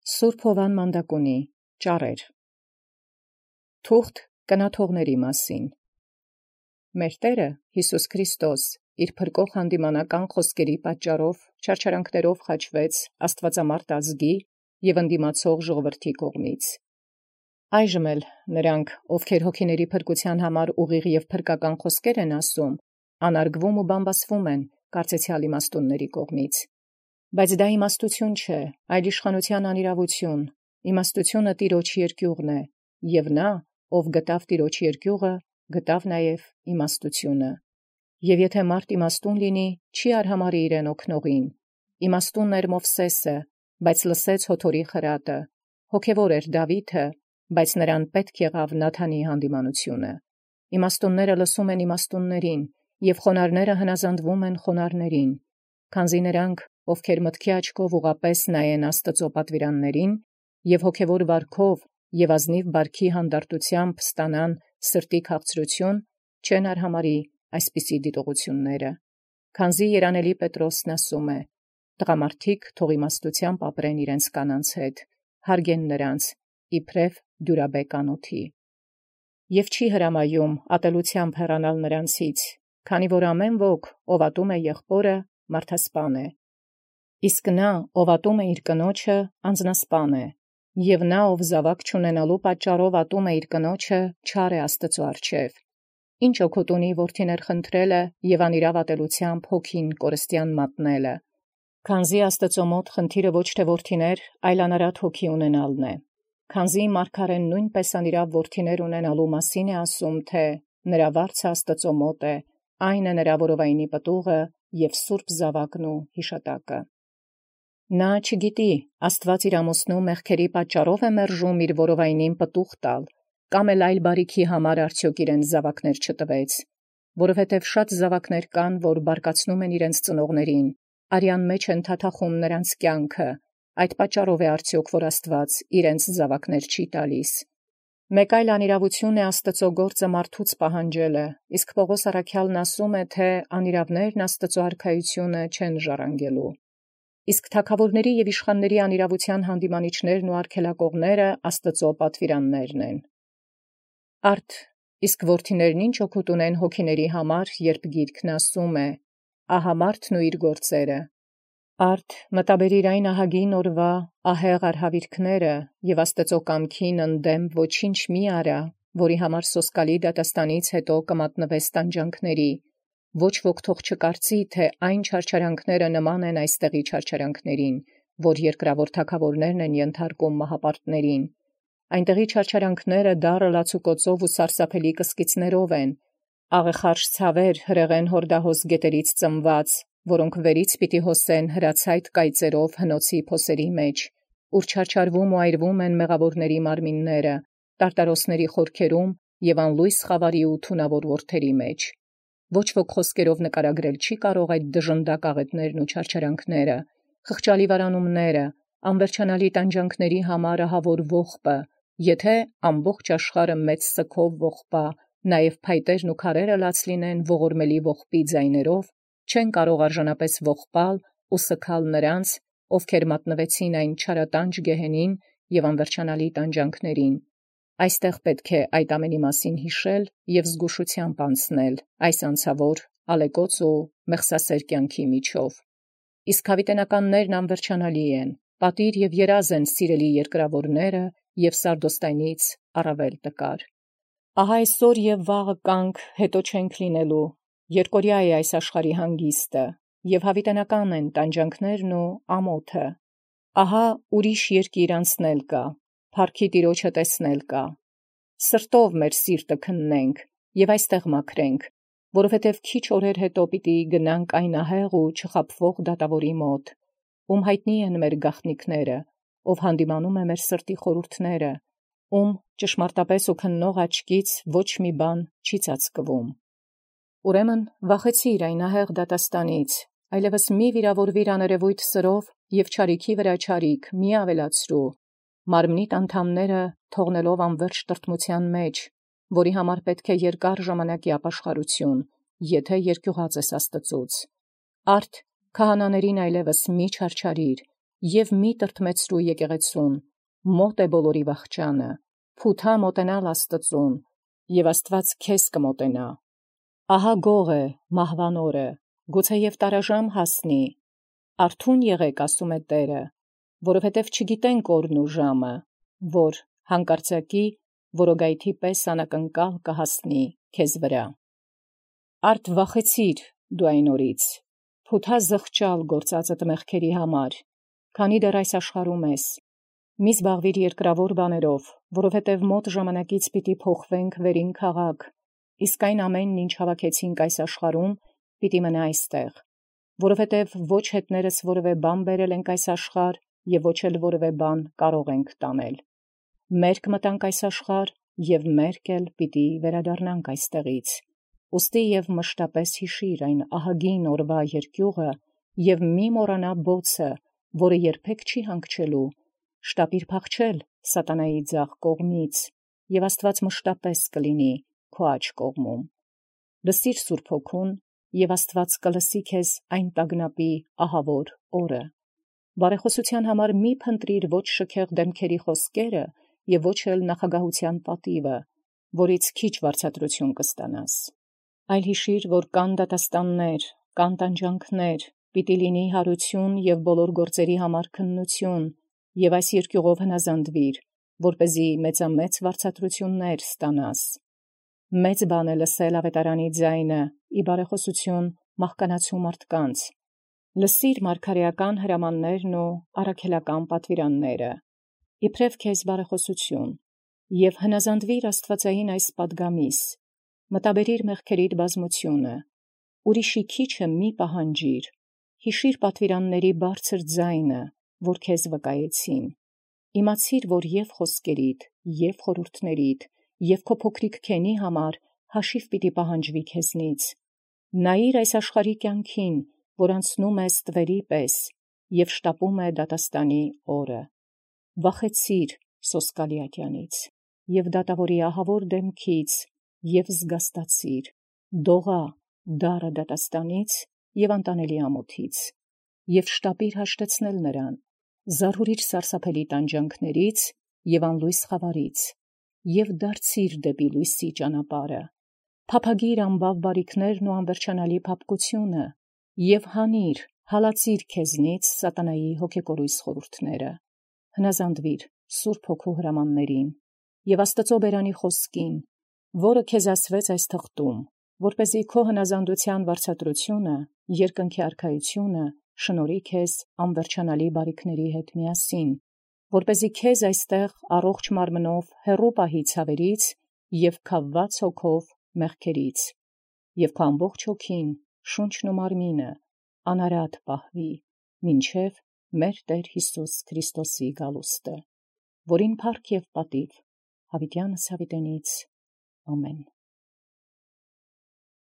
Սուրբ Հովան Մանդակունի ճառեր թուղթ կնաթողների մասին մեր Տերը Հիսուս Քրիստոս իր փրկող հանդիմանական խոսքերի պատճառով չարչարանքներով խաչվեց Աստվածամարդ ազգի և ընդդիմացող ժողովրդի կողմից։ Այժմ էլ նրանք, ովքեր հոգիների փրկության համար ուղիղ և փրկական խոսքեր են ասում, անարգվում ու բամբասվում են կարծեցյալ իմաստունների կողմից։ Բայց դա իմաստություն չէ, այլ իշխանության անիրավություն, իմաստությունը Տիրոջ երկյուղն է, և նա, ով գտավ Տիրոջ երկյուղը, գտավ նաև իմաստությունը։ Եվ եթե մարդ իմաստուն լինի, չի արհամարհի իրեն օգնողին։ Իմաստունն էր Մովսեսը, բայց լսեց հոթորի խրատը, հոգևոր էր Դավիթը, բայց նրան պետք եղավ Նաթանի հանդիմանությունը։ Իմաստունները լսում են իմաստուններին, և խոնարհները հնազանդվում են խոնարհներին, քանզի նրանք, ովքեր մտքի աչքով ուղղապես նայեն Աստծո պատվիրաններին, և հոգևոր վարքով և ազնիվ բարքի հանդարտությամբ ստանան սրտի քաղցրություն, չեն արհամարհի այսպիսի դիտողությունները։ Քանզի երանելի Պետրոսն ասում է. «Տղամարդիկ թող իմաստությամբ ապրեն իրենց կանանց հետ, հարգեն նրանց, իբրև դյուրաբեկ անոթի։ Եվ չի հրամայում ատելությամբ հեռանալ նրանցից, քանի որ ամեն ոք, ով ատում է եղբորը, մարդասպան է, իսկ նա, ով ատում է իր կնոջը, անձնասպան է, և նա, ով զավակ չունենալու պատճառով ատում է իր կնոջը, չար է Աստծու առջև։ Ինչ օգուտ ունի որդիներ խնդրելը և անիրավ ատելությամբ հոգին կորստյան մատնելը, քանզի Աստծո մոտ խնդիրը ոչ թե որդիներ, այլ անարատ հոգի ունենալն է։ Քանզի մարգարեն նույնպես անիրավ որդիներ ունենալու մասին է ասում, թե նրա վարձը Աստծո մոտ է, այն է նրա որովայնի պտուղը և սուրբ զավակն ու հիշատակը։ Նա չգիտի, Աստված իր ամուսնու մեղքերի պատճառով է մերժում իր որովայնին պտուղ տալ, կամ էլ այլ բարիքի համար արդյոք իրեն զավակներ չտվեց, որովհետև շատ զավակներ կան, որ բարկացնում են իրենց ծնողներին, արյան մեջ են թաթախում նրանց կյանքը, այդ պատճառով է արդյոք, որ Աստված իրենց զավակներ չի տալիս։ Մեկ այլ անիրավություն է Աստծո գործը մարդուց պահանջելը, իսկ Պողոս առաքյալն ասում է, թե անիրավներն Աստծո արքայությունը չեն ժառանգելու։ Իսկ թագավորների և իշխանների անիրավության հանդիմանիչներն ու արգելակողները Աստծո պատվիրաններն են։ Արդ, իսկ որդիներն ինչ օգուտ ունեն հոգիների համար, երբ գիրքն ասում է. «Ահա մարդն ու իր գործերը»։ Արդ, մտաբերիր այն ահագին օրվա ահեղ արհավիրքները և Աստծո կամքին ընդդեմ ոչինչ մի արա, որի համար սոսկալի դատաստանից հետո կմատնվես տանջանքների, ոչ ոք թող չկարծի, թե այն չարչարանքները նման են այստեղի չարչարանքներին, որ երկրավոր թագավորներն են ենթարկում մահապարտներին։ Այնտեղի չարչարանքները դառը լացուկոցով ու սարսափելի կսկիծներով են, աղեխարշ ցավեր հրեղեն հորդահոս գետերից ծնված, որոնք վերից պիտի հոսեն հրացայտ կայծերով հնոցի փոսերի մեջ, ուր չարչարվում ու այրվում են մեղավորների մարմինները, տարտարոսների խորքերում և անլույս խավարի ու թունավոր որդերի մեջ։ Ոչ ոք խոսքերով նկարագրել չի կարող այդ դժնդակ աղետներն ու չարչարանքները, խղճալի վարանումները, անվերջանալի տանջանքների համար ահավոր ողբը, եթե ամբողջ աշխարհը մեծ սգով ողբա, նաև փայտերն ու քարերը լաց լինեն ողորմելի ողբի ձայներով, չեն կարող արժանապես ողբալ ու սգալ նրանց, ովքեր մատնվեցին այն չարատանջ գեհենին և անվերջանալի տանջանքներին։ Այստեղ պետք է այդ ամենի մասին հիշել և զգուշությամբ անցնել այս անցավոր, ալեկոծ ու մեղսասեր կյանքի միջով։ Իսկ հավիտենականներն անվերջանալի են, պատիր և երազ են սիրելի երկրավորները և Սարդոստայնից առավել տկար։ Ահա այսօր և վաղը կանք, հետո չենք լինելու, երկորյա է այս աշխարհի հանգիստը, և հավիտենական են տանջանքներն ու ամոթը։ Ահա ուրիշ երկիր անցնել կա, փառքի Տիրոջը տեսնել կա։ Սրտով մեր սիրտը քննենք և այստեղ մաքրենք, որովհետև քիչ օրեր հետո պիտի գնանք այն ահեղ ու չխաբվող դատավորի մոտ, ում հայտնի են մեր գաղտնիքները, ով հանդիմանում է մեր սրտի խորհուրդները, ում ճշմարտապես ու քննող աչքից ոչ մի բան չի ծածկվում։ Ուրեմն վախեցիր այն ահեղ դատաստանից, այլևս մի վիրավորվիր աներևույթ սրով և չարիքի վրա չարիք մի ավելացրու, մարմնիդ անդամները թողնելով անվերջ տրտմության մեջ, որի համար պետք է երկար ժամանակի ապաշխարություն, եթե երկյուղած ես Աստծուց։ Արդ քահանաներին այլևս մի չարչարիր, եւ մի տրտմեցրու եկեղեցուն, մոտ է բոլորի վախճանը, փութա մոտենալ Աստծուն, եւ Աստված քեզ կմոտենա։ Ահա գող է մահվան օրը, գուցե եւ տարաժամ հասնի, արթուն եղեք, ասում է Տերը, որովհետև չգիտենք օրն ու ժամը, որ հանկարծակի որոգայթի պես անակնկալ կհասնի քեզ վրա։ Արդ վախեցիր դու այն օրից, փութա զղջալ գործածդ մեղքերի համար, քանի դեռ այս աշխարհում ես, մի զբաղվիր երկրավոր բաներով, որովհետև մոտ ժամանակից պիտի փոխվենք վերին քաղաք, իսկ այն ամենն, ինչ հավաքեցինք այս աշխարհում, պիտի մնա այստեղ, որովհետև ոչ հետներս որևէ բան բերել ենք այս աշխարհ, եւ ոչ էլ որևէ բան կարող ենք տանել։ Մերկ մտանք այս աշխարհ, եւ մերկ էլ պիտի վերադառնանք այստեղից։ Ուստի եւ մշտապես հիշիր այն ահագին օրվա երկյուղը եւ մի մոռանա բոցը, որը երբեք չի հանգչելու, շտապիր փախչել սատանայի ձախ կողմից, եւ Աստված մշտապես կլինի քո աջ կողմում։ Լսիր Սուրբ Հոգուն, եւ Աստված կլսի քեզ այն տագնապի ահավոր օրը։ Բարեխոսության համար մի փնտրիր ոչ շքեղ դեմքերի խոսքերը եւ ոչ էլ նախագահության պատիվը, որից քիչ վարձատրություն կստանաս։ Այլ հիշիր, որ կան դատաստաններ, կան տանջանքներ, պիտի լինի հարություն եւ բոլոր գործերի համար քննություն, եւ այս երկյուղով հնազանդվիր, որպեսզի մեծամեծ վարձատրություններ ստանաս։ Մեծ բան է լսել ավետարանի ձայնը, ի բարեխոսություն մահկանացու մարդկանց։ Լսիր մարգարեական հրամաններն ու առաքելական պատվիրանները, իբրև քեզ բարեխոսություն, եւ հնազանդվիր Աստվածային այս պատգամիս, մտաբերիր մեղքերիդ բազմությունը, ուրիշի քիչը մի պահանջիր, հիշիր պատվիրանների բարձր ձայնը, որ քեզ վկայեցին, իմացիր, որ եւ խոսքերիդ, եւ խորհուրդներիդ, եւ քո փոքրիկ քենի համար հաշիվ պիտի պահանջվի քեզնից, նայիր այս աշխարհի կյանքին, որ անցնում է ստվերի պես, եւ շտապում է դատաստանի օրը, վախեցիր սոսկալիակյանից, եւ դատավորի ահավոր դեմքից, եւ զգաստացիր, դողա դառը դատաստանից եւ անտանելի ամոթից, եւ շտապիր հաշտեցնել նրան, զարհուրիր սարսափելի տանջանքներից եւ անլույս խավարից, եւ դարձիր դեպի լույսի ճանապարհը, փափագիր անբավ բարիքներն ու անվերջանալի փափկությունը, եւ հանիր, հալածիր քեզնից սատանայի հոգեկորույս խորհուրդները, հնազանդվիր Սուրբ Հոգու հրամաններին եւ Աստծո բերանի խոսքին, որը քեզ ասվեց այս թղթում, որպեսզի քո հնազանդության վարձատրությունը, երկնքի արքայությունը շնորհի քեզ անվերջանալի բարիքների հետ միասին, որպեսզի քեզ այստեղ առողջ մարմնով հեռու պահի ցավերից եւ քավված հոգով մեղքերից, եւ քո ամբողջ հոգին, շունչն ու մարմինը անարատ պահվի, մինչև մեր Տեր Հիսուս Քրիստոսի գալուստը, որին փառք եւ պատիվ հավիտյանս հավիտենից ամեն։